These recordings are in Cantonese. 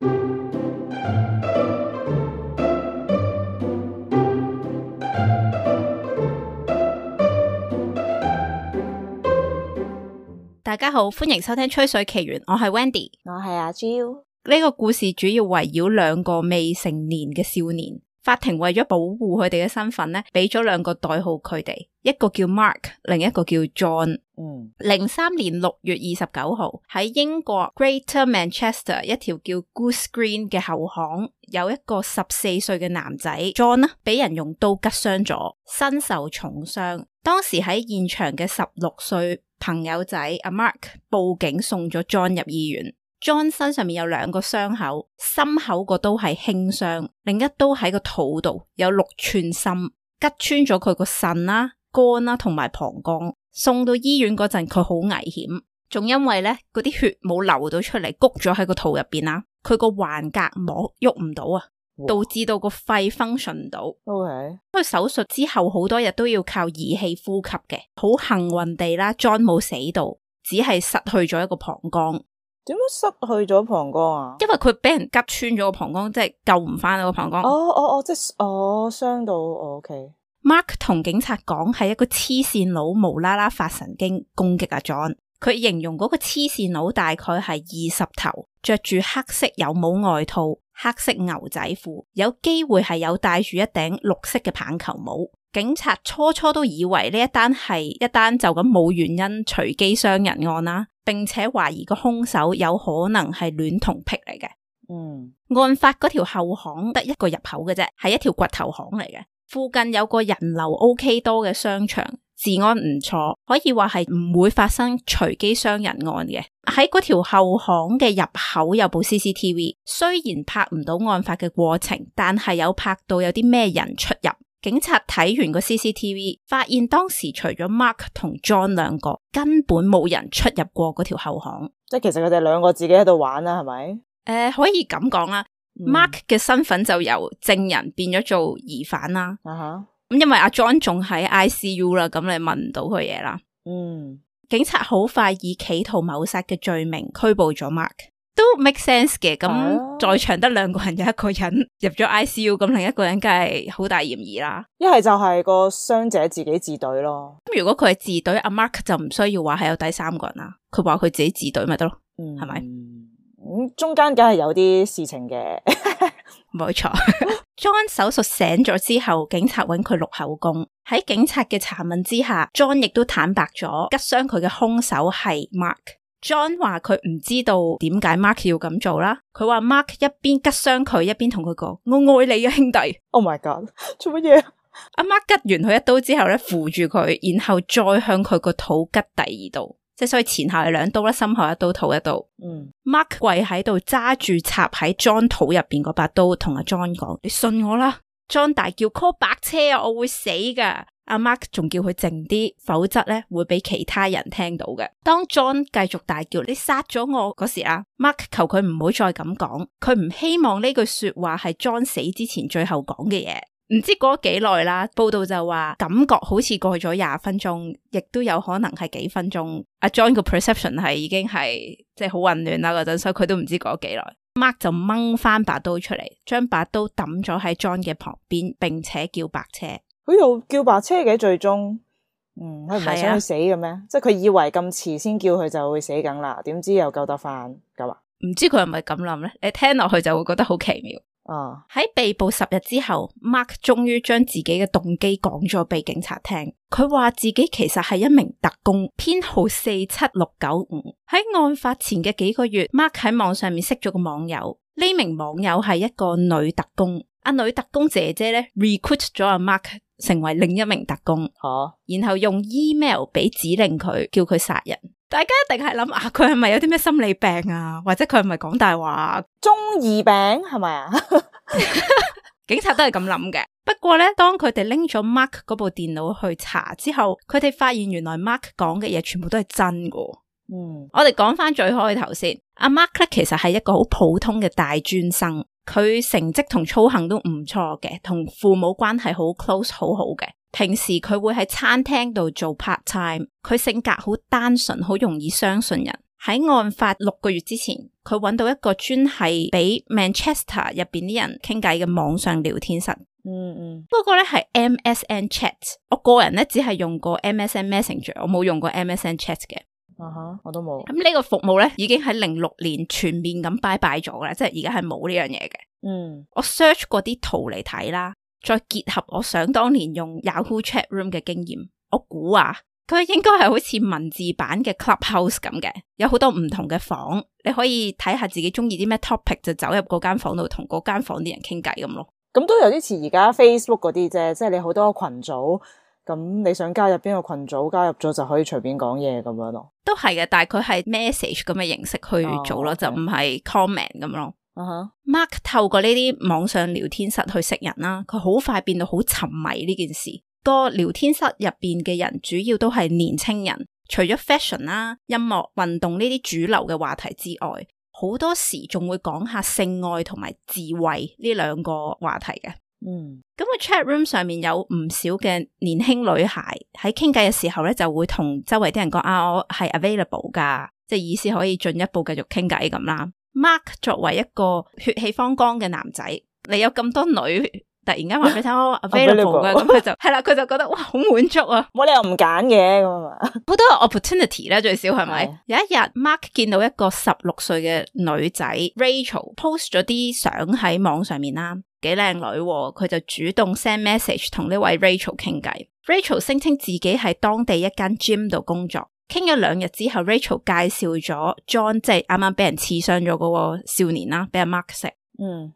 大家好，歡迎收聽吹水奇緣，我係 Wendy， 我係阿 Jill。呢個故事主要圍繞兩個未成年嘅少年，法庭為咗保護佢哋嘅身份呢，俾咗兩個代號佢哋，一個叫 Mark， 另一個叫 John。03年6月29號喺英國 Greater Manchester 一條叫 Goose Green 嘅後巷，有一個14歲嘅男仔 John 呢，俾人用刀拮傷咗，身受重傷。當時喺現場嘅16歲朋友仔阿 Mark 報警送咗 John 入醫院。John 身上面有2個傷口，心口個刀係輕傷，另一刀喺個肚度有6寸深，拮穿咗佢個腎啦、肝啦同埋膀胱。送到醫院嗰陣佢好危險，仲因為咧嗰啲血冇流到出嚟，谷咗喺個肚入邊啦，佢個橫膈膜喐唔到啊，導致到個肺 function 唔到。佢手術之後好多日都要靠儀器呼吸嘅，好幸運地啦 John 冇死到，只係失去咗一個膀胱。點樣失去咗膀胱啊？因為佢俾人拮穿咗個膀胱，即係救唔翻個膀胱。即係傷到OK。Mark 同警察講係一個黐線佬無啦啦發神經攻擊阿 John， 佢形容嗰個黐線佬大概係20頭，着住黑色有帽外套、黑色牛仔褲，有機會係有戴住一頂綠色嘅棒球帽。警察初都以為呢一單係一單就咁冇原因隨機傷人案啦，並且懷疑個兇手有可能係戀童癖嚟嘅。案發嗰條後巷得一個入口嘅啫，係一條掘頭巷嚟嘅。附近有個人流 OK 多嘅商場，治安唔錯，可以話係唔會發生隨機傷人案嘅。喺嗰條後巷嘅入口有部 CCTV， 雖然拍唔到案發嘅過程，但係有拍到有啲咩人出入。警察睇完個 CCTV， 發現當時除咗 Mark 同 John 兩個，根本冇人出入過嗰條後巷。即係其實佢哋兩個自己喺度玩啦，係咪？可以咁講啦。Mark 嘅身份就由證人變咗做疑犯啦。咁因為阿 John 仲喺 ICU 啦，咁你問唔到佢嘢啦。警察好快以企圖謀殺嘅罪名拘捕咗 Mark， 都 make sense 嘅。咁在場得2個人，有一個人入咗 ICU， 咁另一個人梗係好大嫌疑啦。一係就係個傷者自己自隊咯。咁如果佢係自隊，阿 Mark 就唔需要話係有第3個人啦，佢話佢自己自隊咪得咯，係咪？中間梗係有啲事情嘅。冇錯。John 手術醒咗之後，警察揾佢錄口供。喺警察嘅查問之下， John 亦都坦白咗拮傷佢嘅兇手係 Mark。 John 話佢唔知道點解 Mark 要咁做啦。佢話 Mark 一邊拮傷佢，一邊同佢講我愛你啊兄弟。 Oh my god， 做乜嘢？阿 Mark 拮完佢一刀之後咧，扶住佢，然後再向佢個肚拮第2刀，即係所以前後係2刀啦，心口1刀，肚1刀。Mark 跪喺度揸住插喺 John 肚入邊嗰把刀，同阿 John 講：你信我啦。John 大叫 call 白車啊，我會死噶。阿 Mark 仲叫佢靜啲，否則咧會俾其他人聽到嘅。當 John 繼續大叫你殺咗我嗰時啊， Mark 求佢唔好再咁講，佢唔希望呢句說話係 John 死之前最後講嘅嘢。唔知過咗幾耐啦，報道就話感覺好似過咗20分鐘，亦都有可能係幾分鐘。阿 John 個 perception 係已經係即係好混亂啦嗰陣，所以佢都唔知過咗幾耐。Mark 就掹翻把刀出嚟，將把刀抌咗喺 John 嘅旁邊，並且叫白車。佢又叫白車嘅最終，佢唔係想佢死嘅咩？即係佢以為咁遲先叫佢就會死梗啦，點知又救得翻咁啊？唔知佢係咪咁諗咧？你聽落去就會覺得好奇妙。喺被捕10日之後， Mark 終於將自己嘅動機講咗俾警察聽。佢話自己其實係一名特工，編號47695。喺案發前嘅幾個月， Mark 喺網上面識咗個網友，呢名網友係一個女特工。阿女特工姐姐咧 recruit 咗阿 Mark 成為另一名特工，然後用 email 俾指令佢，叫佢殺人。大家一定係諗啊，佢係咪有啲咩心理病啊？或者佢係咪講大話？中二病係咪啊？警察都係咁諗嘅。不過咧，當佢哋拎咗 Mark 嗰部電腦去查之後，佢哋發現原來 Mark 講嘅嘢全部都係真㗎。我哋講翻最開頭先，阿 Mark 咧其實係一個好普通嘅大專生，佢成績同操行都唔錯嘅，同父母關係好 close 好好嘅。平時佢會喺餐廳度做 part time， 佢性格好單純，好容易相信人，喺案發6個月之前，佢揾到一個專係俾 Manchester 入邊啲人傾偈嘅網上聊天室。不過咧係 MSN Chat， 我個人咧只係用過 MSN Messenger， 我冇用過 MSN Chat 嘅。我都冇。咁呢個服務咧已經喺06年全面咁拜拜咗啦，即係而家係冇呢樣嘢嘅。我 search 過啲圖嚟睇啦，再結合我想當年用 Yahoo Chat Room 嘅經驗，我估啊，佢應該係好似文字版嘅 Clubhouse 咁嘅，有好多唔同嘅房，你可以睇下自己中意啲咩 topic 就走入嗰間房度同嗰間房啲人傾偈咁咯。咁都有啲似而家 Facebook 嗰啲啫，即係你好多群組，咁你想加入邊個群組，加入咗就可以隨便講嘢咁樣咯。都係嘅，但係佢係 message 咁嘅形式去做咯，就唔係 comment 咁咯。Mark 透過呢啲網上聊天室去識人啦，佢好快變到好沉迷呢件事。個聊天室入邊嘅人主要都係年青人，除咗 fashion 啦、音樂、運動呢啲主流嘅話題之外，好多時仲會講下性愛同埋自慰呢兩個話題嘅。咁個 chat room 上面有唔少嘅年輕女孩喺傾偈嘅時候咧，就會同周圍啲人講啊，我係 available 噶，即係意思可以進一步繼續傾偈咁啦。Mark 作為一個血氣方剛嘅男仔，你有咁多女突然間話俾佢聽我 available 嘅，咁佢就係啦，佢就覺得哇好滿足啊，冇理由唔揀嘅咁啊嘛，好多 opportunity 咧，最少係咪？有一日 Mark 見到一個16歲嘅女仔 Rachel post 咗啲相喺網上面啦，幾靚女，佢就主動 send message 同呢位 Rachel 傾偈。Rachel 聲稱自己喺當地一間 gym 度工作。傾咗2日之後 Rachel 介紹咗 John， 即係啱啱俾人刺傷咗嗰個少年啦，俾阿 Mark 識。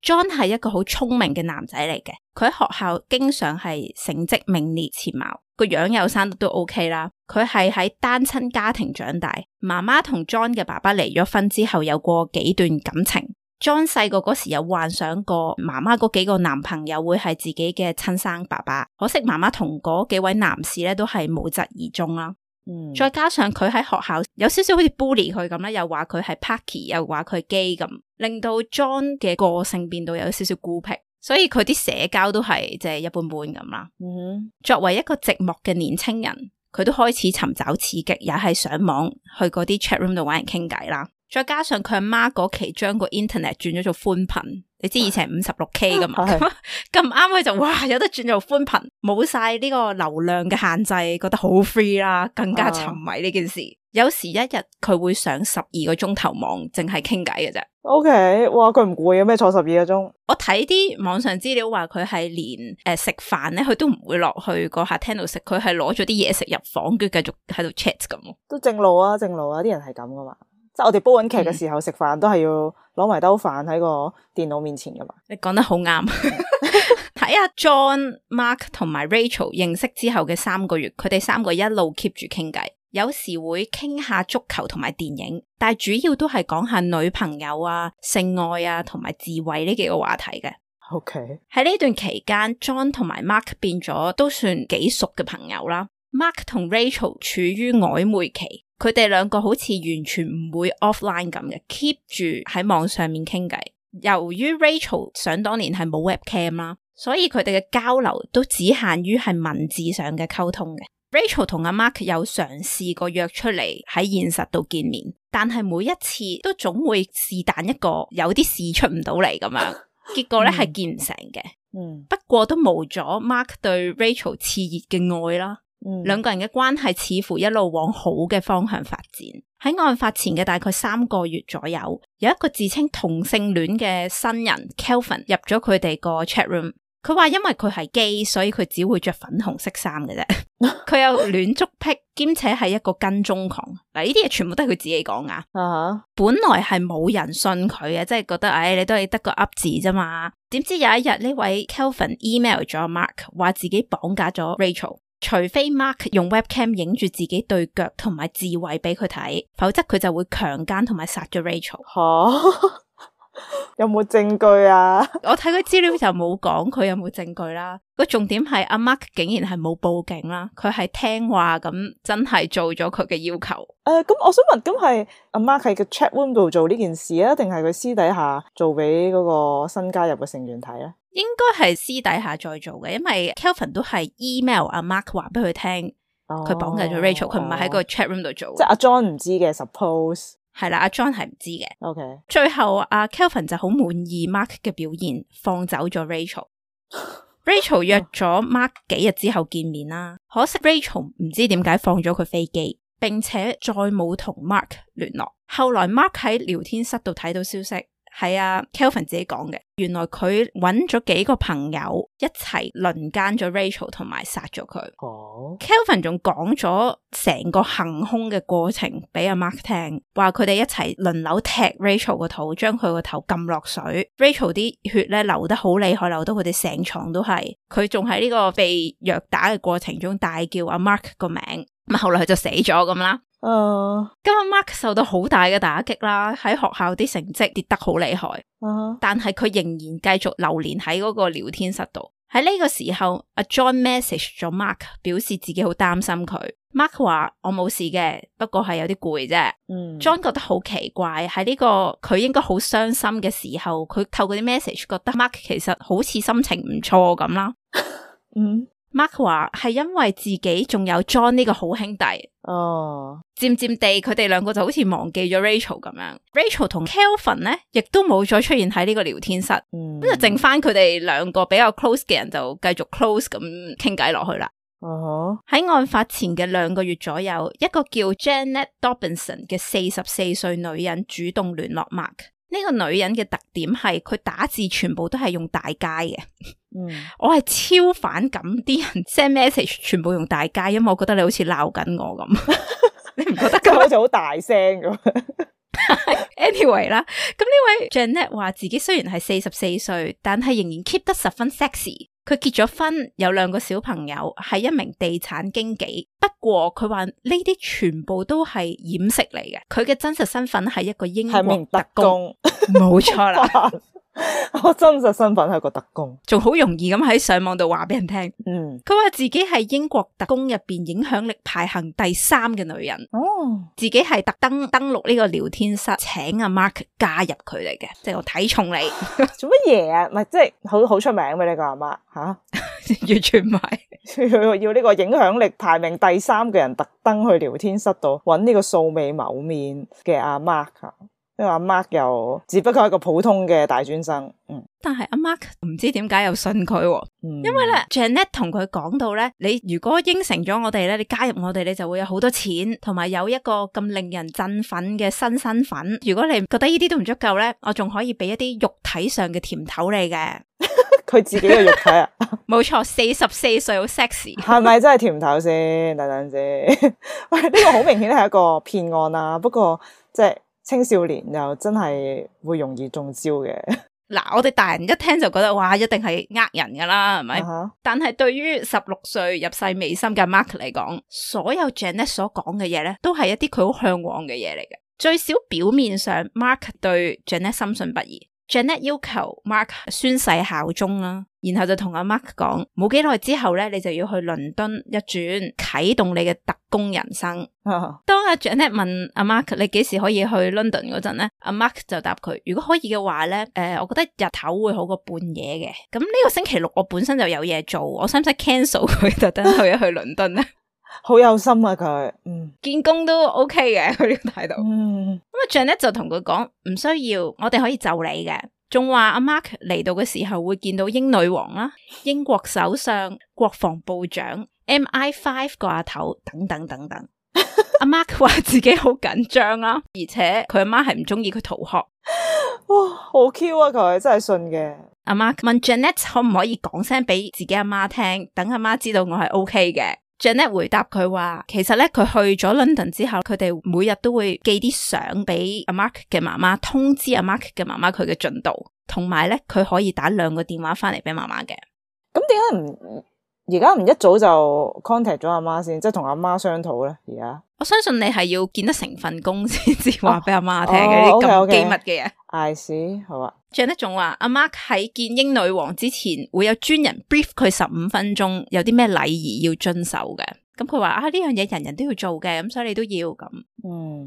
John 係一個好聰明嘅男仔嚟嘅，佢喺學校經常係成績名列前茅，個樣又生得都 OK 啦。佢係喺單親家庭長大，媽媽同 John 嘅爸爸離咗婚之後有過幾段感情。John 細個嗰時有幻想過媽媽嗰幾個男朋友會係自己嘅親生爸爸，可惜媽媽同嗰幾位男士咧都係無疾而終啦。再加上佢喺學校有少少好似 bully 佢咁啦，又話佢係 Parky， 又話佢 gay 咁，令到 John 嘅個性變到有少少孤僻，所以佢啲社交都係即係一般般咁啦。作為一個寂寞嘅年青人，佢都開始尋找刺激，也係上網去嗰啲 chat room 度搵人傾偈啦。再加上佢阿媽嗰期將個 internet 轉咗做寬頻，你知以前係 56K 噶嘛，咁啱佢就哇有得轉做寬頻，冇晒呢個流量嘅限制，覺得好 free 啦，更加沉迷呢件事。有時一日佢會上12個鐘頭網，淨係傾偈嘅啫。OK， 哇，佢唔攰嘅咩？坐12個鐘？我睇啲網上資料話佢係連食飯咧，佢都唔會落去個客廳度食，佢係攞咗啲嘢食入房，跟住繼續喺度 chat 咁。都正路啊，正路啊，啲人係咁噶嘛。即係我哋煲緊劇嘅時候食飯都係要攞埋兜飯喺個電腦面前噶嘛。你講得好啱。睇下 John、Mark 同埋 Rachel 認識之後嘅3個月，佢哋3個一路 keep 住傾偈，有時會傾下足球同埋電影，但係主要都係講下女朋友啊、性愛啊同埋自慰呢幾個話題嘅。OK， 喺呢段期間 John 同埋 Mark 變咗都算幾熟嘅朋友啦。Mark 同 Rachel 處於曖昧期，佢哋兩個好似完全唔會 offline 咁嘅 ，keep 住喺網上面傾偈。由於 Rachel 想當年係冇 webcam 啦，所以佢哋嘅交流都只限於係文字上嘅溝通嘅。Rachel 同阿 Mark 有嘗試過約出嚟喺現實度見面，但係每一次都總會是但一個有啲事出唔到嚟咁樣，結果咧係見唔成嘅。不過都冇咗 Mark 對 Rachel 熾熱嘅愛啦。兩個人嘅關係似乎一路往好嘅方向發展。喺案發前嘅大概3個月左右，有一個自稱同性戀嘅新人 Kelvin 入咗佢哋個 chat room。佢話因為佢係 gay， 所以佢只會着粉紅色衫嘅啫。佢有戀足癖，兼且係一個跟蹤狂。嗱，呢啲嘢全部都係佢自己講噶。本來係冇人信佢嘅，即係覺得你都係得個噏字啫嘛。點知有一日呢位 Kelvin email 咗 Mark， 話自己綁架咗 Rachel。除非 Mark 用 webcam 影住自己對腳同埋自慰俾佢睇，否則佢就會強姦同埋殺咗 Rachel。有冇證據啊？我睇佢資料就冇講佢有冇證據啦。個重點係阿 Mark 竟然係冇報警啦，佢係聽話咁真係做咗佢嘅要求。咁我想問，咁係阿 Mark 喺個 chat room 度做呢件事啊，定係佢私底下做俾嗰個新加入嘅成員睇咧？應該係私底下再做嘅，因為 Kelvin 都係 email 阿 Mark 話俾佢聽，佢綁架咗 Rachel，佢唔係喺個 chat room 度做。即係阿 John 唔知嘅 suppose。係啦，阿 John 係唔知嘅。OK， 最後阿 Kelvin 就好滿意 Mark 嘅表現，放走咗 Rachel。Rachel 約咗 Mark 幾日之後見面啦，可惜 Rachel 唔知點解放咗佢飛機，並且再冇同 Mark 聯絡。後來 Mark 喺聊天室度睇到消息，係阿 Kelvin 自己講嘅，原來佢揾咗幾個朋友一齊輪姦咗 Rachel 同埋殺咗佢。Kelvin 仲講咗成個行兇嘅過程俾阿 Mark 聽，話佢哋一齊輪流踢 Rachel 個肚，將佢個頭撳落水。Rachel 啲血咧流得好厲害，流到佢哋成床都係。佢仲喺呢個被虐打嘅過程中大叫阿 Mark 個名，咁後來佢就死咗咁啦。咁阿 Mark 受到好大嘅打擊啦，喺學校啲成績跌得好厲害。但係佢仍然繼續流連喺嗰個聊天室度。喺呢個時候，阿 John message 咗 Mark， 表示自己好擔心佢。Mark 話我冇事嘅，不過係有啲攰啫。John 覺得好奇怪，喺呢個佢應該好傷心嘅時候，佢透過啲 message 覺得 Mark 其實好似心情唔錯咁啦。Mark 話係因為自己仲有 John 呢個好兄弟。漸漸地佢哋兩個就好似忘記咗 Rachel 咁樣。Rachel 同 Kelvin 咧亦都冇再出現喺呢個聊天室，咁就剩翻佢哋兩個比較 close 嘅人就繼續 close 咁傾偈落去啦。喺案發前嘅2個月左右，一個叫 Janet Dobinson 嘅44歲女人主動聯絡 Mark。呢個女人嘅特點係佢打字全部都係用大楷嘅。我係超反感啲人 send message 全部用大楷，因為我覺得你好似鬧緊我咁。你唔覺得咁好似好大聲咁？Anyway 啦，咁呢位 Janet 話自己雖然係44歲，但係仍然 keep 得十分 sexy。佢結咗婚，有2個小朋友，係一名地產經紀。不過佢話呢啲全部都係掩飾嚟嘅，佢嘅真實身份係一個英國特工。冇錯啦。我真實身份係個特工，仲好容易咁喺上網度話俾人聽。佢話自己係英國特工入邊影響力排行第3嘅女人。自己係特登登錄呢個聊天室，請阿 Mark 加入佢哋嘅，即係我睇重你。做乜嘢啊？唔係即係好出名嘅呢個阿 Mark 吓，完全唔係。要呢個影響力排名第3嘅人特登去聊天室度揾呢個素未謀面嘅阿 Mark。因為阿 Mark 又只不過係一個普通嘅大專生，但係阿 Mark 唔知點解又信佢。因為咧 Janet 同佢講到咧，你如果應承咗我哋咧，你加入我哋，你就會有好多錢，同埋有一個咁令人振奮嘅新身份。如果你覺得呢啲都唔足夠咧，我仲可以俾一啲肉體上嘅甜頭你嘅。佢自己嘅肉體啊？冇錯，44歲好 sexy， 係咪真係甜頭先？等等先，喂，呢個好明顯係一個騙案啊。不過即係。青少年又真係會容易中招嘅。嗱，我哋大人一聽就覺得哇，一定係呃人噶啦，係咪？但係對於16歲入世未深嘅 Mark 嚟講，所有 Janet 所講嘅嘢咧，都係一啲佢好向往嘅嘢嚟嘅。最少表面上 Mark 對 Janet 深信不疑。Janet 要求 Mark 宣誓效忠啦，然後就同阿 Mark 講，冇幾耐之後咧，你就要去倫敦一轉，啟動你嘅特工人生。當阿 Janet 問阿 Mark 你幾時可以去 London 嗰陣咧，阿 Mark 就答佢，如果可以嘅話咧，我覺得日頭會好過半夜嘅。咁呢個星期6我本身就有嘢做，我使唔使 cancel 佢特登去一去倫敦咧？好有心啊佢，見工都 OK 嘅佢呢個態度。咁啊 Janet 就同佢講唔需要，我哋可以就你嘅。仲話阿 Mark 嚟到嘅時候會見到英女王啦、英國首相、國防部長、MI5 個阿頭等等等等。阿 Mark 話自己好緊張啦，而且佢阿媽係唔中意佢逃學。哇，好 Q 啊佢，真係信嘅。阿 Mark 問 Janet 可唔可以講聲俾自己阿媽聽，等阿媽知道我係 OK 嘅。Janet 回答佢話，其實咧佢去咗 London 之後，佢哋每日都會寄啲相俾阿 Mark 嘅媽媽，通知阿 Mark 嘅媽媽佢嘅進度，同埋咧佢可以打2個電話翻嚟俾媽媽嘅。咁點解而家唔一早就 contact 咗阿媽先，即係同阿媽商討咧？而家我相信你係要見得成份工先至話俾阿媽聽嘅啲咁機密嘅嘢。I see， 好啊。Janet 仲話阿 Mark 喺見英女王之前會有專人 brief 佢15分鐘，有啲咩禮儀要遵守嘅。咁佢話呢樣嘢人人都要做嘅，咁所以你都要咁。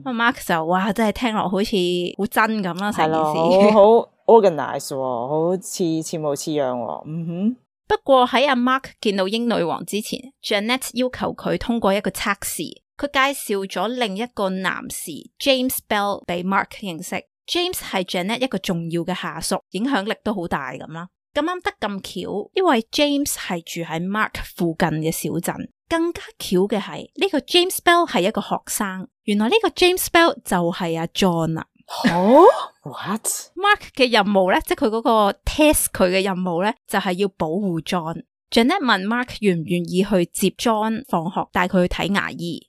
阿 Mark 就哇，真係聽落好似好真咁啦，成件事好 organize， 好似模似樣。不過喺阿 Mark 見到英女王之前，Janet 要求佢通過一個測試，佢介紹咗另一個男士 James Bell 俾 Mark 認識。James 係 Janet 一個重要嘅下屬，影響力都好大咁啦。咁啱得咁巧，因為 James 係住喺 Mark 附近嘅小鎮。更加巧嘅係呢個 James Bell 係一個學生，原來呢個 James Bell 就係阿 John 啦。What？ Mark 嘅任務咧，即係佢嗰個 test 佢嘅任務咧，就係要保護 John。Janet 問 Mark 願唔願意去接 John 放學，帶佢去睇牙醫。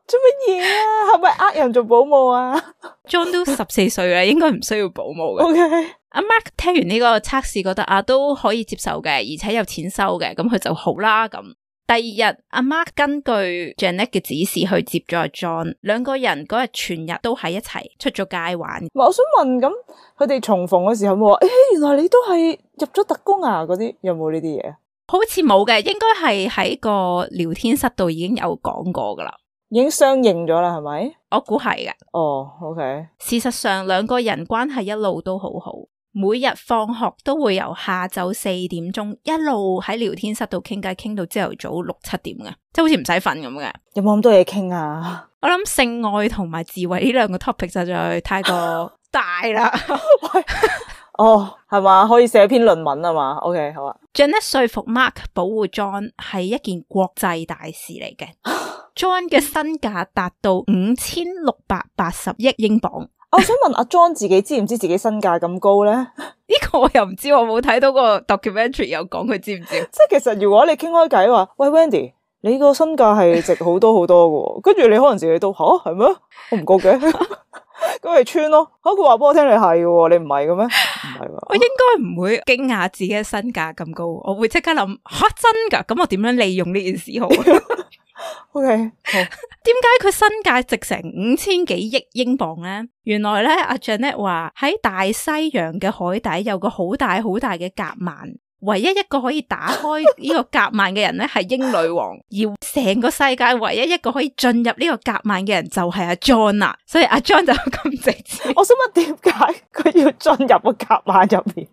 做乜嘢啊？係咪呃人做保姆啊？John 都14歲啦，應該唔需要保姆嘅。OK。阿 Mark 聽完呢個測試，覺得都可以接受嘅，而且有錢收嘅，咁佢就好啦咁。第二日，阿 Mark 根據 Janet 嘅指示去接咗阿 John， 兩個人嗰日全日都喺一齊出咗街玩。我想問，咁佢哋重逢嘅時候有冇話，原來你都係入咗特工啊？嗰啲有冇呢啲嘢？好似冇嘅，應該係喺個聊天室度已經有講過噶啦，已經相認咗啦，係咪？我估係嘅。OK。事實上，兩個人關係一路都好好。每日放學都會由下晝4點鐘一路喺聊天室度傾偈，傾到朝頭早6、7點嘅，即係好似唔使瞓咁嘅。有冇咁多嘢傾啊？我諗性愛同埋自慰呢兩個 topic 實在太過大啦。係嘛？可以寫篇論文啊嘛。OK， 好啊。Janet 說服 Mark 保護 John 係一件國際大事嚟嘅。John 嘅身價達到5680億英鎊。我想問阿 John 自己知唔知自己身價咁高咧？呢個我又唔知，我冇睇到個 documentary 有講佢知唔知。即係其實如果你傾開偈話，喂 Wendy，你個身價係值好多好多嘅，跟住你可能自己都係咩？我唔覺嘅，咁咪穿咯。佢話俾我聽你係嘅，你唔係嘅咩？唔係喎。我應該唔會驚訝自己嘅身價咁高，我會即刻諗真噶，咁我點樣利用呢件事好？OK， 好。點解佢身價值成5000幾億英鎊咧？原來咧，阿 Janet 話喺大西洋嘅海底有個好大好大嘅夾萬，唯一一個可以打開呢個夾萬嘅人咧係英女王，而成個世界唯一一個可以進入呢個夾萬嘅人就係阿 John 啦。所以阿 John 就咁直接。我想問點解佢要進入個夾萬入面？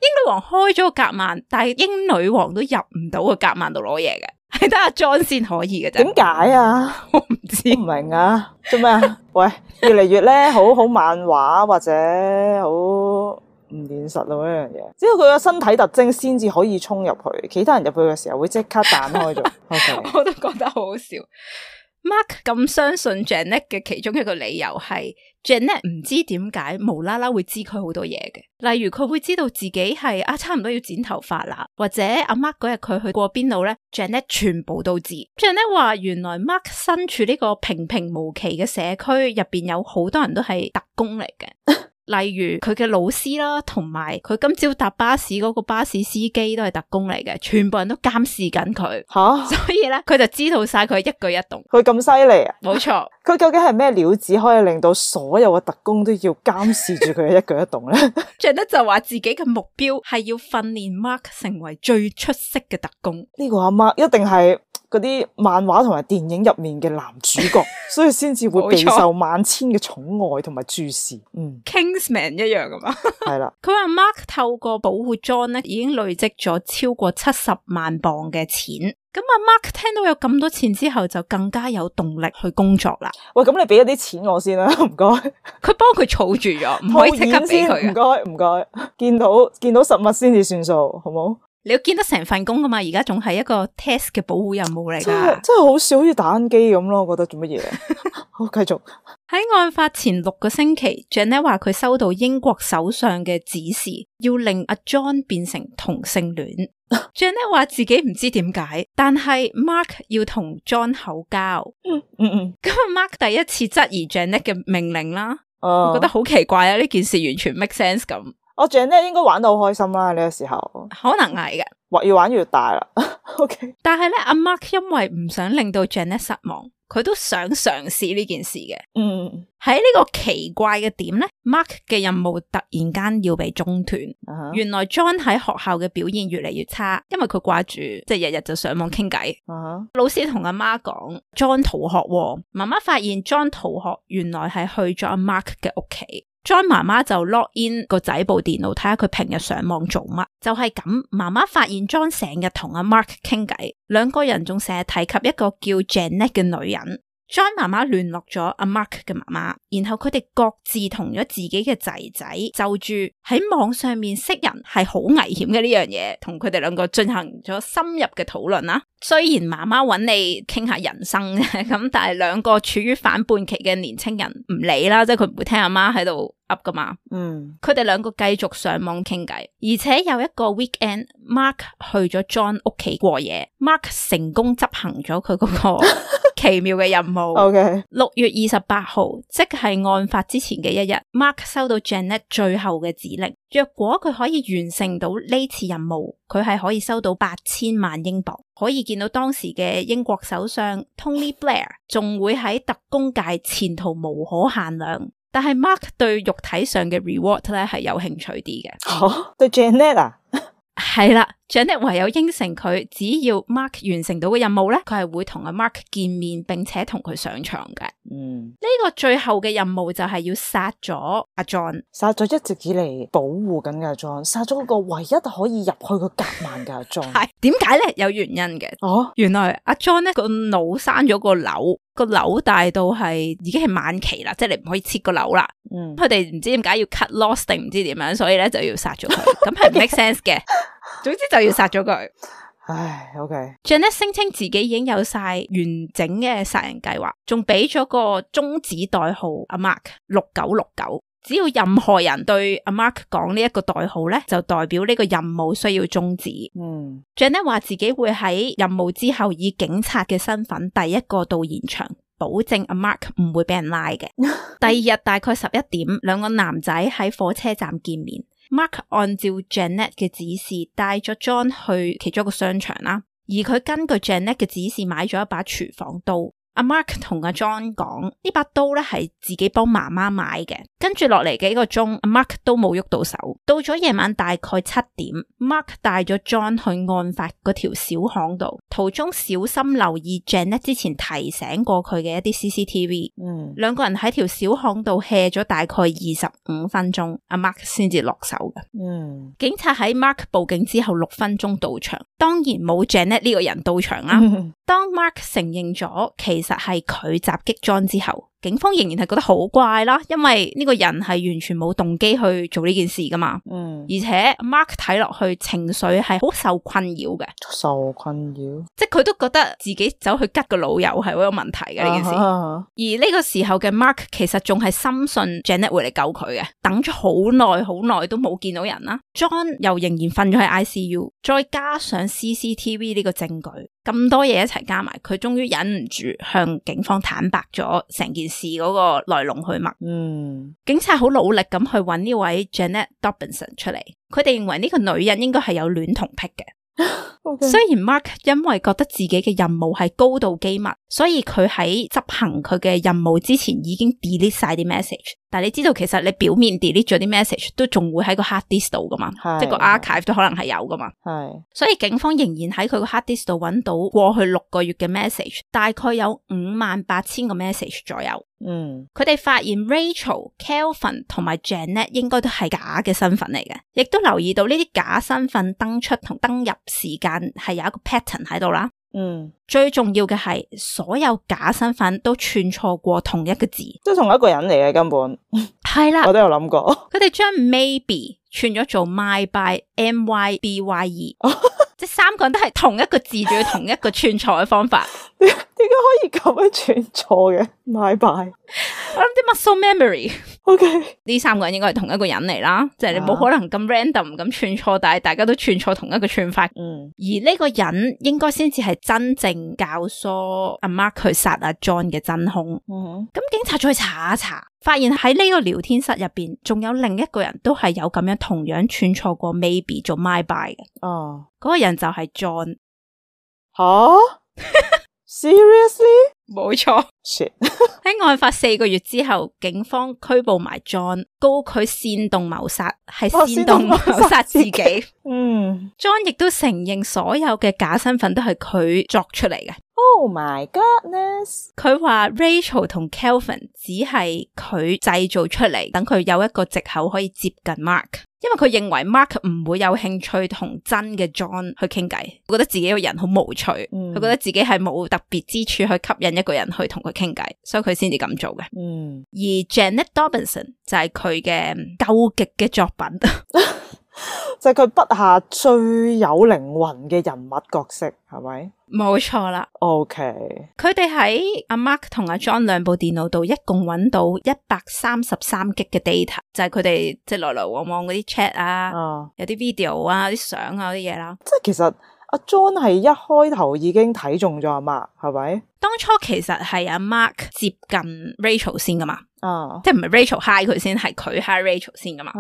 英女王開咗個夾萬，但係英女王都入唔到個夾萬度攞嘢嘅。係得阿 John 先可以嘅啫。點解啊？我唔知，唔明啊。做咩啊？喂，越嚟越咧，好漫畫或者好唔現實咯呢樣嘢。只要佢個身體特徵先至可以衝入去，其他人入去嘅時候會即刻彈開咗。Okay. 我都覺得好好笑。Mark 咁相信 Janet 嘅其中一個理由係 Janet 唔知點解無啦啦會知佢好多嘢嘅，例如佢會知道自己係差唔多要剪頭髮啦，或者阿 Mark 嗰日佢去過邊度咧 ，Janet 全部都知。Janet 話原來 Mark 身處呢個平平無奇嘅社區入邊，有好多人都係特工嚟嘅。例如佢嘅老師啦，同埋佢今朝搭巴士嗰個巴士司機都係特工嚟嘅，全部人都監視緊佢。所以咧佢就知道晒佢一舉一動。佢咁犀利啊！冇錯。佢究竟係咩料子可以令到所有嘅特工都要監視住佢嘅一舉一動咧？Janet 就話自己嘅目標係要訓練 Mark 成為最出色嘅特工。呢個阿 Mark 一定係嗰啲漫畫同埋電影入面嘅男主角，所以先至會備受萬千嘅寵愛同埋注視。Kingsman 一樣噶嘛？係啦。佢話 Mark 透過保護 John 咧，已經累積咗超過70萬鎊嘅錢。咁阿 Mark 聽到有咁多錢之後，就更加有動力去工作啦。喂，咁你俾一啲錢我先啦，唔該。佢幫佢儲住咗，唔可以即刻俾佢。唔該，見到實物先至算數，好冇？你要見得成份工噶嘛？而家仲係一個 test 嘅保護任務嚟噶，真係好少，好似打緊機咁咯。我覺得做乜嘢？好，繼續。喺案發前6個星期 ，Janet 話佢收到英國首相嘅指示，要令阿 John 變成同性戀。Janet 話自己唔知點解，但係 Mark 要同 John 口交。咁Mark 第一次質疑 Janet 嘅命令啦，我覺得好奇怪啊！呢件事完全 make sense 咁。Janet 應該玩到好開心啦，呢個時候可能係嘅，越玩越大啦。OK， 但係咧，阿 Mark 因為唔想令到 Janet 失望，佢都想嘗試呢件事嘅。喺呢個奇怪嘅點咧 ，Mark 嘅任務突然間要被中斷。原來 John 喺學校嘅表現越嚟越差，因為佢掛住即係日日就上網傾偈。老師同阿媽講 John 逃學，媽媽發現 John 逃學原來係去咗阿 Mark 嘅屋企。John 媽媽就 log in 個仔部電腦睇下佢平日上網做乜，就係咁，媽媽發現 John 成日同阿 Mark 傾偈，兩個人仲成日提及一個叫 Janet 嘅女人。John 媽媽聯絡咗阿 Mark 嘅媽媽，然後佢哋各自同咗自己嘅仔仔就住喺網上面識人係好危險嘅呢樣嘢，同佢哋兩個進行咗深入嘅討論啦。雖然媽媽揾你傾下人生咁，但係兩個處於反叛期嘅年青人唔理啦，即係佢唔會聽阿媽喺度噏噶嘛。佢哋兩個繼續上網傾偈，而且有一個 weekend，Mark 去咗 John 屋企過夜，Mark 成功執行咗佢嗰個奇妙嘅任務。6月28號，即係案發之前嘅一日 ，Mark 收到 Janet 最後嘅指令，若果佢可以完成到呢次任務，佢係可以收到8000萬英鎊。可以見到當時嘅英國首相 Tony Blair 仲會喺特工界前途無可限量。但係 Mark 對肉體上嘅 reward 咧係有興趣啲嘅。對 Janet 啊？係啦，Janet 唯有應承佢，只要 Mark 完成到嘅任務咧，佢係會同阿 Mark 見面，並且同佢上床嘅。呢個最後嘅任務就係要殺咗阿 John， 殺咗一直以嚟保護緊嘅阿 John， 殺咗嗰個唯一可以入去個夾萬嘅阿 John。係點解咧？有原因嘅。原來阿 John 咧個腦生咗個瘤，個瘤大到係已經係晚期啦，即係你唔可以切個瘤啦。佢哋唔知點解要 cut loss 定唔知點樣，所以咧就要殺咗佢。咁係唔 make sense 嘅。總之就要殺咗佢。Janet 聲稱自己已經有晒完整嘅殺人計劃，仲俾咗個中指代號阿 Mark 6969。只要任何人對阿 Mark 講呢一個代號咧，就代表呢個任務需要終止。Janet 話自己會喺任務之後以警察嘅身份第一個到現場，保證阿 Mark 唔會俾人拉嘅。第二日大概11點，兩個男仔喺火車站見面。Mark 按照 Janet 嘅指示帶咗 John 去其中一個商場啦，而佢根據 Janet 嘅指示買咗一把廚房刀。阿 Mark 同阿 John 講呢把刀咧係自己幫媽媽買嘅，跟住落嚟幾個鐘，阿 Mark 都冇喐到手。到咗夜晚大概7點 ，Mark 帶咗 John 去案發嗰條小巷度，途中小心留意 Janet 之前提醒過佢嘅一啲 CCTV。兩個人喺條小巷度 hea 咗大概25分鐘，阿 Mark 先至落手嘅。警察喺 Mark 報警之後6分鐘到場，當然冇 Janet 呢個人到場啦。當 Mark 承認咗其實係佢襲擊 John 之後，警方仍然係覺得好怪啦，因為呢個人係完全冇動機去做呢件事噶嘛。而且 Mark 睇落去情緒係好受困擾嘅，即係佢都覺得自己走去吉個老友係好有問題嘅呢件事。而呢個時候嘅 Mark 其實仲係深信 Janet 會嚟救佢嘅，等咗好耐都冇見到人啦。John 又仍然瞓咗喺 ICU， 再加上 CCTV 呢個證據，咁多嘢一齊加埋，佢終於忍唔住向警方坦白咗成件事嗰個來龍去脈。警察好努力咁去揾呢位 Janet Dobinson 出嚟，佢哋認為呢個女人應該係有戀童癖嘅。雖然 Mark 因為覺得自己嘅任務係高度機密，所以佢喺執行佢嘅任務之前已經 delete 晒啲 message。但係你知道其實你表面 delete 咗啲 message 都仲會喺個 hard disk 度噶嘛，即係個 archive 都可能係有噶嘛。所以警方仍然喺佢個 hard disk 度揾到過去6個月嘅 message， 大概有58000個 message 左右。佢哋發現 Rachel、Kelvin 同埋 Janet 應該都係假嘅身份嚟嘅，亦都留意到呢啲假身份登出同登入時間係有一個 pattern 喺度啦。最重要嘅係所有假身份都串錯過同一個字，即係同一個人嚟嘅根本。係啦，我都有諗過。佢哋將 maybe 串咗做 MyBye MYBYE， 即係3個人都係同一個字，仲要同一個串錯嘅方法。點解可以咁樣串錯嘅 ？MyBye， 我諗啲 muscle memory。呢3個人應該係同一個人嚟啦，即係你冇可能咁 random 咁串錯，但係大家都串錯同一個串法。而呢個人應該先至係真正教唆阿 Mark 去殺阿 John 嘅真兇。咁警察再查一查，發現喺呢個聊天室入邊，仲有另一個人都係有咁樣同樣串錯過 maybe 做 MyBye 嘅。嗰個人就係 John。Seriously？冇錯。shit 喺案發4個月之後，警方拘捕埋 John， 告佢煽動謀殺，係煽動謀殺自己。John 亦都承認所有嘅假身份都係佢作出嚟嘅。Oh my goodness！ 佢話 Rachel 同 Kelvin 只係佢製造出嚟，等佢有一個藉口可以接近 Mark， 因為佢認為 Mark 唔會有興趣同真嘅 John 去傾偈，覺得自己個人好無趣，佢覺得自己係冇特別之處去吸引一個人去同佢傾偈，所以佢先至咁做嘅。而 Janet Dobinson 就係佢嘅究極嘅作品。就係佢筆下最有靈魂嘅人物角色，係咪？冇錯啦。OK， 佢哋喺阿 Mark 同阿 John 兩部電腦度一共揾到133 G 嘅 data， 就係佢哋即係來來往往嗰啲 chat 啊，有啲 video 啊，啲相啊啲嘢啦。即係其實阿 John 係一開頭已經睇中咗阿 Mark， 係咪？當初其實係阿 Mark 接近 Rachel 先噶嘛，即係唔係 Rachel hi 佢先，係佢 hi Rachel 先噶嘛，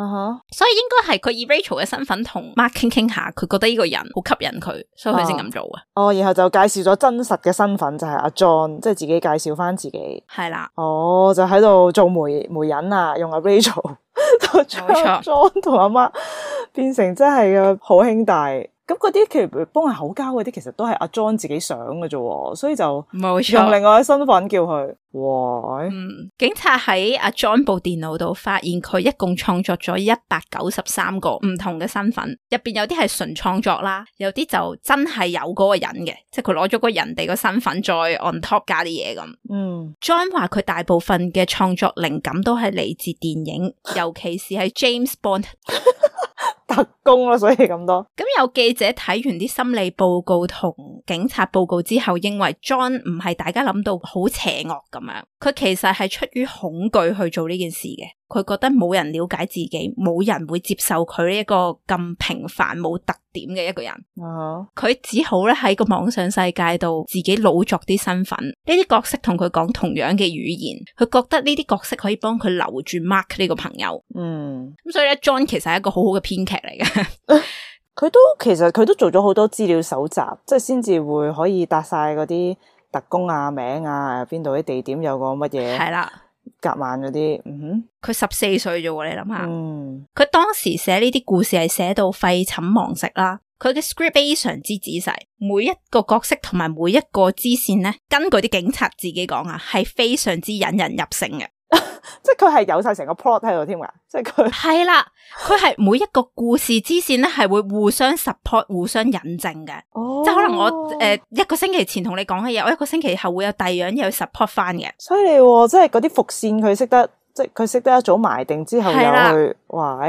所以應該係佢以 Rachel 嘅身份同 Mark 傾下，佢覺得呢個人好吸引佢，所以佢先咁做嘅。然後就介紹咗真實嘅身份就係阿 John， 即係自己介紹翻自己。係啦。就喺度做媒人啊，用阿 Rachel 就將 John 同阿 Mark 變成真係嘅好兄弟。咁嗰啲其實幫人口交嗰啲，其實都係阿 John 自己想嘅啫，所以就用另外嘅身份叫佢。哇！警察喺阿 John 部電腦度發現佢一共創作咗193個唔同嘅身份，入邊有啲係純創作啦，有啲就真係有嗰個人嘅，即係佢攞咗個人哋個身份再 on top 加啲嘢咁。John 話佢大部分嘅創作靈感都係嚟自電影，尤其是係 James Bond 特工啦，所以咁多。咁有記者睇完啲心理報告同警察報告之後，認為 John 唔係大家諗到好邪惡咁樣，佢其實係出於恐懼去做呢件事嘅。佢覺得冇人了解自己，冇人會接受佢呢一個咁平凡冇特點嘅一個人。佢只好咧喺個網上世界度自己老作啲身份，呢啲角色同佢講同樣嘅語言，佢覺得呢啲角色可以幫佢留住 Mark 呢個朋友。咁所以咧 John 其實係一個好好嘅編劇嚟嘅。其實佢都做咗好多資料搜集，即係先至會可以答晒嗰啲特工啊、名啊、邊度啲地點有個乜嘢。係啦。夾萬嗰啲，佢14歲啫喎，你諗下，佢當時寫呢啲故事係寫到廢寢忘食啦。佢嘅 script 非常之仔細，每一個角色同埋每一個支線咧，根據啲警察自己講啊，係非常之引人入勝嘅。即係佢係有晒成個 plot 喺度添噶，即係佢係啦，佢係每一個故事支線咧係會互相 support、互相引證嘅。即係可能我一個星期前同你講嘅嘢，我一個星期後會有第二樣嘢去 support 翻嘅。犀利喎！即係嗰啲伏線佢識得，即係佢識得一早埋定之後又去，哇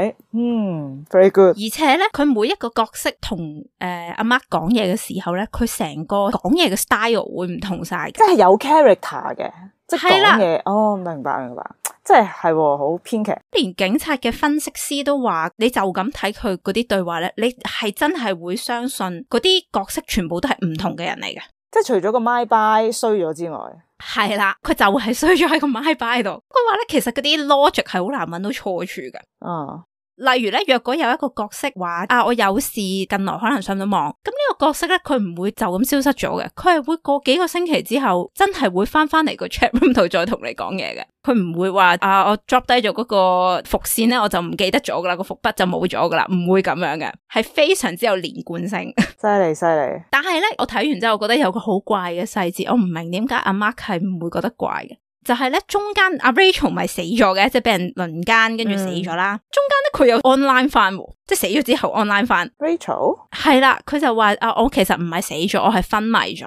！very good。而且咧，佢每一個角色同阿 Mark 講嘢嘅時候咧，佢成個講嘢嘅 style 會唔同晒嘅，即係有 character 嘅，即係講嘢。明白。即係好編劇，連警察嘅分析師都話，你就咁睇佢嗰啲對話咧，你係真係會相信嗰啲角色全部都係唔同嘅人嚟嘅。即係除咗個 my by 衰咗之外，係啦，佢就係衰咗喺個 my by 度。佢話咧，其實嗰啲 logic 係好難揾到錯處嘅。例如咧，若果有一個角色話我有事近來可能上到網，咁呢個角色咧，佢唔會就咁消失咗嘅，佢係會過幾個星期之後真係會翻嚟個 chat room 度再同你講嘢嘅。佢唔會話我 drop 低咗嗰個伏線咧，我就唔記得咗噶啦，個伏筆就冇咗噶啦，唔會咁樣嘅，係非常之有連貫性。犀利。但係咧，我睇完之後，我覺得有個好怪嘅細節，我唔明點解阿 Mark 係唔會覺得怪嘅。就係咧，中間阿 Rachel 咪死咗嘅，即係俾人輪姦跟住死咗啦。中間咧佢有 online 翻，即係死咗之後 online 翻。Rachel 係啦，佢就話我其實唔係死咗，我係昏迷咗。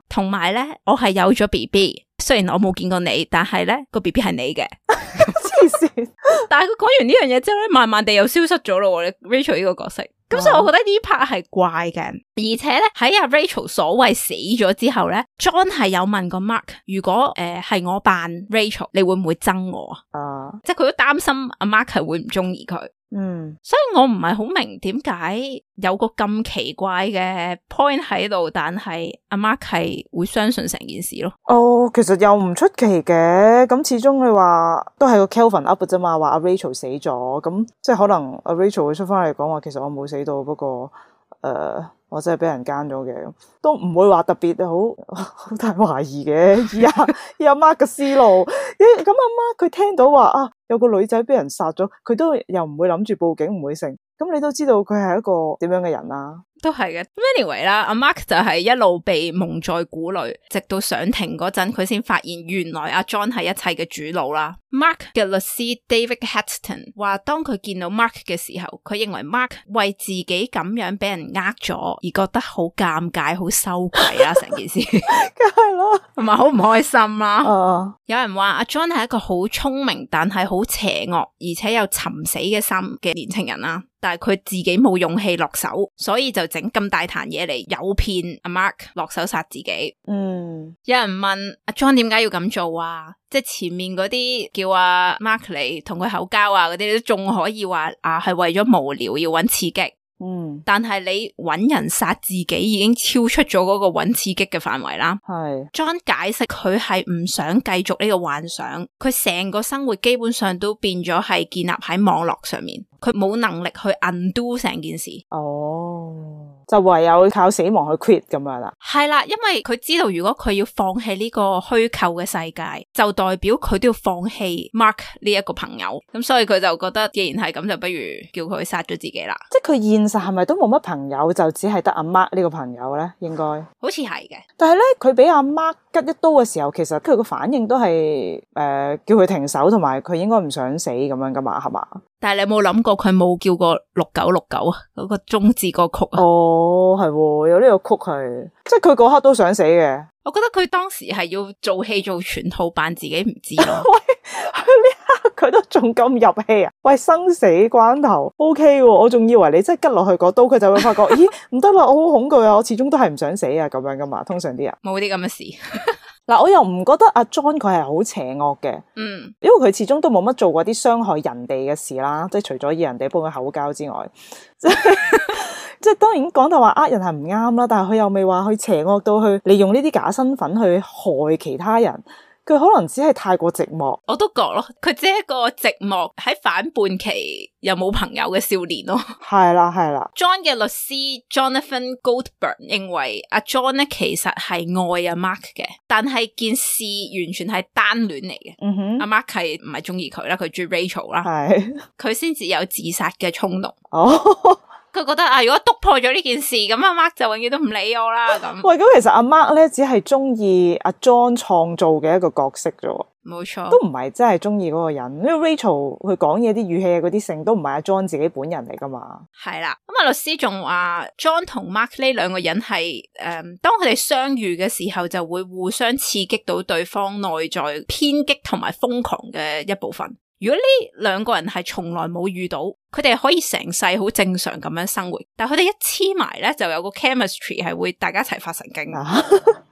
同埋咧，我係有咗 BB， 雖然我冇見過你，但係咧個 BB 係你嘅。黐線！但係佢講完呢樣嘢之後咧，慢慢地又消失咗咯。Rachel 呢個角色。咁所以我覺得呢 part 係怪嘅，而且咧喺阿 Rachel 所謂死咗之後咧 ，John 係有問過 Mark， 如果係我扮 Rachel， 你會唔會憎我啊？即係佢都擔心阿 Mark 係會唔中意佢。所以我唔係好明點解有個咁奇怪嘅 point 喺度，但係阿 Mark 係會相信成件事咯。其實又唔出奇嘅，咁始終你話都係個 Kelvin up 啫嘛，話阿 Rachel 死咗，咁即係可能阿 Rachel 會出翻嚟講話，其實我冇死到，不過我真係俾人奸咗嘅，都唔會話特別好大懷疑嘅。以阿 Mark 嘅思路，咁阿 Mark 佢聽到話啊有個女仔俾人殺咗，佢都又唔會諗住報警，唔會成。咁你都知道佢係一個點樣嘅人啦。都係嘅。Anyway 啦，阿 Mark 就係一路被蒙在鼓裏，直到上庭嗰陣，佢先發現原來阿 John 係一切嘅主腦啦。Mark 嘅律師 David Hatton 話，當佢見到 Mark 嘅時候，佢認為 Mark 為自己咁樣俾人呃咗而覺得好尷尬、好羞愧啦，成件事。梗係啦，同埋好唔開心啦。有人話阿 John 係一個好聰明但係好邪惡而且有尋死嘅心嘅年輕人啦，但係佢自己冇勇氣落手，所以就整咁大壇嘢嚟誘騙阿 Mark 落手殺自己。有人問阿 John 點解要咁做啊？即係前面嗰啲叫阿 Mark 嚟同佢口交啊嗰啲，都仲可以話啊係為咗無聊要揾刺激。但係你揾人殺自己已經超出咗嗰個揾刺激嘅範圍啦。係 John 解釋佢係唔想繼續呢個幻想，佢成個生活基本上都變咗係建立喺網絡上面，佢冇能力去 undo 成件事。就唯有靠死亡去 quit 咁樣啦。係啦，因為佢知道如果佢要放棄呢個虛構嘅世界，就代表佢都要放棄 Mark 呢一個朋友。咁所以佢就覺得既然係咁，就不如叫佢殺咗自己啦。即係佢現實係咪都冇乜朋友，就只係得阿 Mark 呢個朋友咧？應該好似係嘅。但係咧，佢俾阿 Mark 吉一刀嘅時候，其實佢個反應都係叫佢停手，同埋佢應該唔想死咁樣噶嘛，係嘛？但係你有冇諗過佢冇叫過6969啊？嗰個中字歌曲啊？係喎，有呢個曲係，即係佢嗰刻都想死嘅。我覺得佢當時係要做戲做全套，扮自己唔知咯。喂，呢刻佢都仲咁入戲啊？喂，生死關頭 OK 喎，我仲以為你真係吉落去嗰刀，佢就會發覺，咦，唔得啦，我好恐懼啊，我始終都係唔想死啊，咁樣噶嘛。通常啲人冇啲咁嘅事。嗱，我又唔覺得阿 John 佢係好邪惡嘅，因為佢始終都冇乜做過啲傷害人哋嘅事啦，即係除咗以人哋幫佢口交之外，即係當然講到話呃人係唔啱啦，但係佢又未話去邪惡到去利用呢啲假身份去害其他人。佢可能只係太過寂寞，我都覺咯，佢只係一個寂寞喺反叛期又冇朋友嘅少年咯。係啦係啦。John 嘅律師 Jonathan Goldberg 認為阿 John 咧其實係愛阿 Mark 嘅，但係件事完全係單戀嚟嘅。阿 Mark 係唔係中意佢啦，佢中意 Rachel 啦，係佢先至有自殺嘅衝動。佢覺得啊，如果督破咗呢件事，咁阿 Mark 就永遠都唔理我啦。咁喂，咁其實阿 Mark 咧只係中意阿 John 創造嘅一個角色啫，冇錯，都唔係真係中意嗰個人。因為 Rachel 佢講嘢啲語氣嗰啲性都唔係阿 John 自己本人嚟噶嘛。係啦，咁啊律師仲話 John 同 Mark 呢兩個人係當佢哋相遇嘅時候，就會互相刺激到對方內在偏激同埋瘋狂嘅一部分。如果呢兩個人係從來冇遇到，佢哋可以成世好正常咁樣生活，但係佢哋一黐埋咧，就有個 chemistry 係會大家一齊發神經。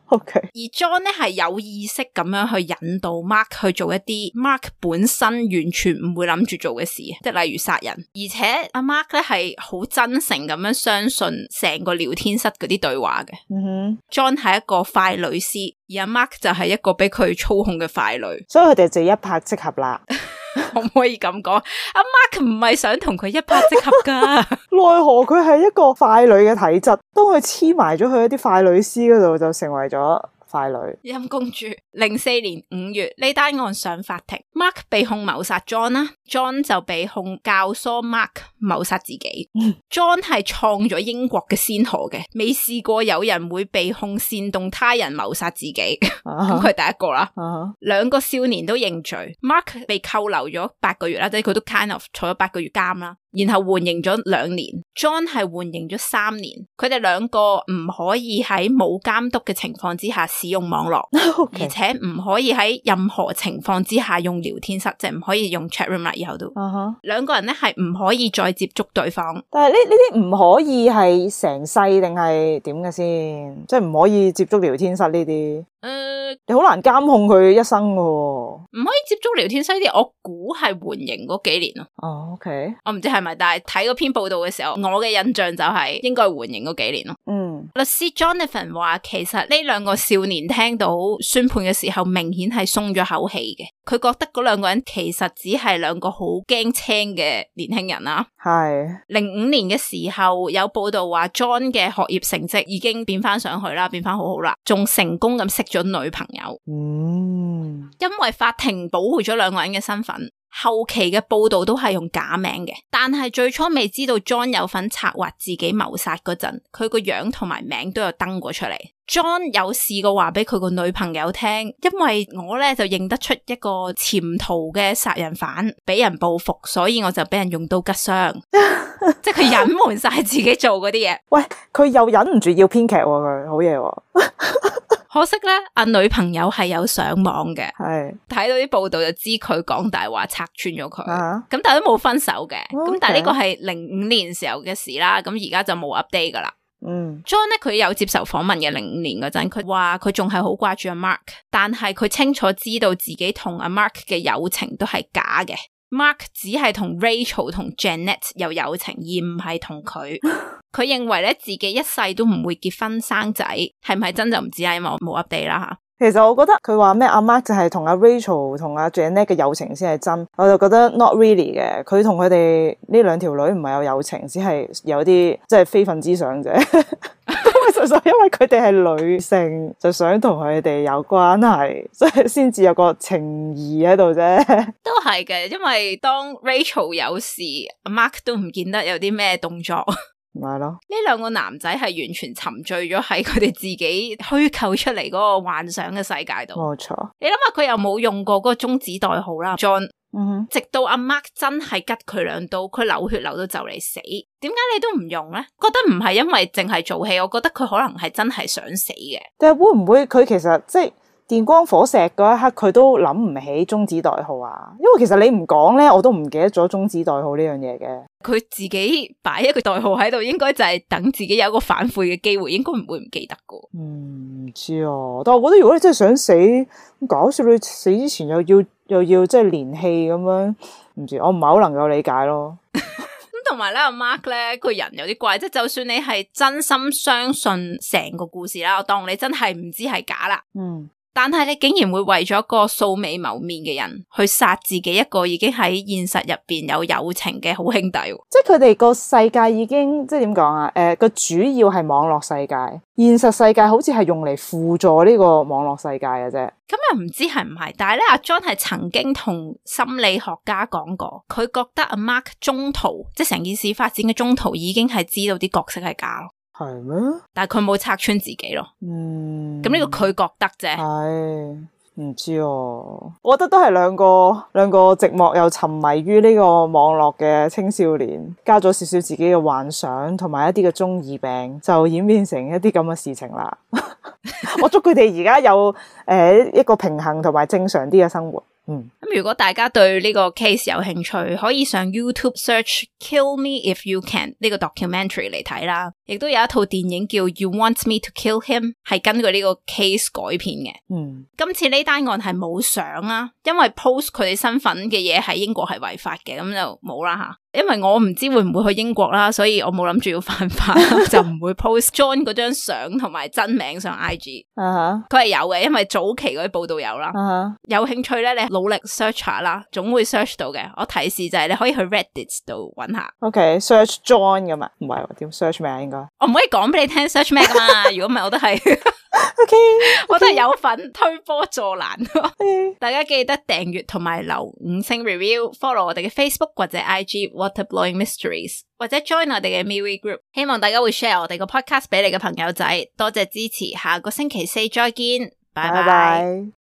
OK。而 John 咧係有意識咁樣去引導 Mark 去做一啲 Mark 本身完全唔會諗住做嘅事，即係例如殺人。而且阿 Mark 咧係好真誠咁樣相信成個聊天室嗰啲對話嘅。John 係一個傀儡師，而阿 Mark 就係一個俾佢操控嘅傀儡，所以佢哋就一拍即合啦。可唔可以咁講？阿 Mark 唔係想同佢一拍即合噶，奈何佢係一個傀儡嘅體質，當佢黐埋咗去一啲傀儡師嗰度，就成為咗傀儡。陰公豬。04年5月呢單案上法庭 ，Mark 被控謀殺 John 啦 ，John 就被控教唆 Mark 謀殺自己。John 係創咗英國嘅先河嘅，未試過有人會被控煽動他人謀殺自己，咁佢第一個啦。兩個少年都認罪 ，Mark 被扣留咗8個月啦，即係佢都 kind of 坐咗8個月監啦。然後緩刑咗2年 ，John 係緩刑咗3年。佢哋兩個唔可以喺冇監督嘅情況之下使用網絡，而且唔可以喺任何情況之下用聊天室，即係唔可以用 chat room 啦。以後都，兩個人咧係唔可以再接觸對方。但係呢啲唔可以係成世定係點嘅先？即係唔可以接觸聊天室呢啲？你好難監控佢一生噶。唔可以接觸聊天室呢啲，我估係緩刑嗰幾年咯。OK，我唔知係咪，但係睇嗰篇報道嘅時候，我嘅印象就係應該係緩刑嗰幾年咯。律師 Jonathan 話，其實呢兩個少年聽到宣判嘅時候，明顯係鬆咗口氣嘅。佢覺得嗰兩個人其實只係兩個好驚青嘅年輕人啦。係05年嘅時候，有報道話 John 嘅學業成績已經變翻上去啦，變翻好好啦，仲成功咁識咗女朋友。因為法庭保護咗兩個人嘅身份，後期嘅報道都係用假名嘅，但係最初未知道 John 有份策劃自己謀殺嗰陣，佢個樣同埋名都有登過出嚟。John 有試過話俾佢個女朋友聽，因為我咧就認得出一個潛逃嘅殺人犯俾人報復，所以我就俾人用刀吉傷。即係佢隱瞞晒自己做嗰啲嘢。喂，佢又忍唔住要編劇喎，佢好嘢喎。可惜咧，阿女朋友係有上網嘅，係睇到啲報道就知佢講大話，拆穿咗佢。咁但係都冇分手嘅。咁但係呢個係05年時候嘅事啦。咁而家就冇 update 噶啦。John 咧，佢有接受訪問嘅05年嗰陣，佢話佢仲係好掛住阿 Mark， 但係佢清楚知道自己同阿 Mark 嘅友情都係假嘅。Mark 只係同 Rachel 同 Janet 有友情，而唔係同佢。佢認為咧，自己一世都唔會結婚生仔，係唔係真就唔知啊，因為我冇 update 啦吓。其實我覺得佢話咩阿 Mark 就係同阿 Rachel 同阿 Janet 嘅友情先係真，我就覺得 not really 嘅。佢同佢哋呢兩條女唔係有友情，只係有啲即係非分之想啫。純粹因為佢哋係女性，就想同佢哋有關係，所以先至有個情誼喺度啫。都係嘅，因為當 Rachel 有事，阿 Mark 都唔見得有啲咩動作。咪係咯，呢兩個男仔係完全沉醉咗喺佢哋自己虛構出嚟嗰個幻想嘅世界度。冇錯，你諗下佢又冇用過嗰個中指代號啦 ，John。直到阿 Mark 真係吉佢兩刀，佢流血流到就嚟死，點解你都唔用咧？覺得唔係因為淨係做戲，我覺得佢可能係真係想死嘅。但係會唔會佢其實即係電光火石嗰一刻，佢都諗唔起中指代號啊？因為其實你唔講咧，我都唔記得咗中指代號呢樣嘢嘅。佢自己擺一個代號喺度，應該就係等自己有一個反悔嘅機會，應該唔會唔記得噶。唔知啊，但係我覺得如果你真係想死，咁搞笑，你死之前又要即係連戲咁樣，唔知我唔係好能夠理解咯。咁同埋咧，阿 Mark 咧個人有啲怪，即係就算你係真心相信成個故事啦，我當你真係唔知係假啦。但係你竟然會為咗個素未謀面嘅人去殺自己一個已經喺現實入邊有友情嘅好兄弟，即係佢哋個世界已經即係點講啊？個主要係網絡世界，現實世界好似係用嚟輔助呢個網絡世界嘅啫。咁又唔知係唔係？但係咧，阿 John 係曾經同心理學家講過，佢覺得阿 Mark 中途即係成件事發展嘅中途已經係知道啲角色係假咯。係咩？但係佢冇拆穿自己咯。咁呢個佢覺得啫。係唔知哦。我覺得都係兩個寂寞又沉迷於呢個網絡嘅青少年，加咗少少自己嘅幻想同埋一啲嘅中二病，就演變成一啲咁嘅事情啦。我祝佢哋而家有一個平衡同埋正常啲嘅生活。咁如果大家對呢個 case 有興趣，可以上 YouTube search Kill Me If You Can 呢個 documentary 嚟睇啦。亦都有一套電影叫 You Want Me to Kill Him， 係根據呢個 case 改編嘅。今次呢單案係冇相啦，因為 post 佢哋身份嘅嘢喺英國係違法嘅，咁就冇啦吓。因為我唔知會唔會去英國啦，所以我冇諗住要犯法，就唔會 post John 嗰張相同埋真名上 IG。佢係有嘅，因為早期嗰啲報道有啦。有興趣咧，你努力 search 下啦，總會 search 到嘅。我提示就係你可以去 Reddit 度揾下。OK，search John 㗎嘛？唔係點 search 咩啊？應該我唔可以講俾你聽 search 咩噶嘛？如果唔係，我都係。OK，我都係有份推波助瀾。大家記得訂閱同埋留5星 review，follow 我哋嘅 Facebook 或者 IG Waterblowing Mysteries， 或者 join 我哋嘅 MeWe Group。希望大家會 share 我哋個 podcast 俾你嘅朋友仔。多謝支持，下個星期四再見，拜拜。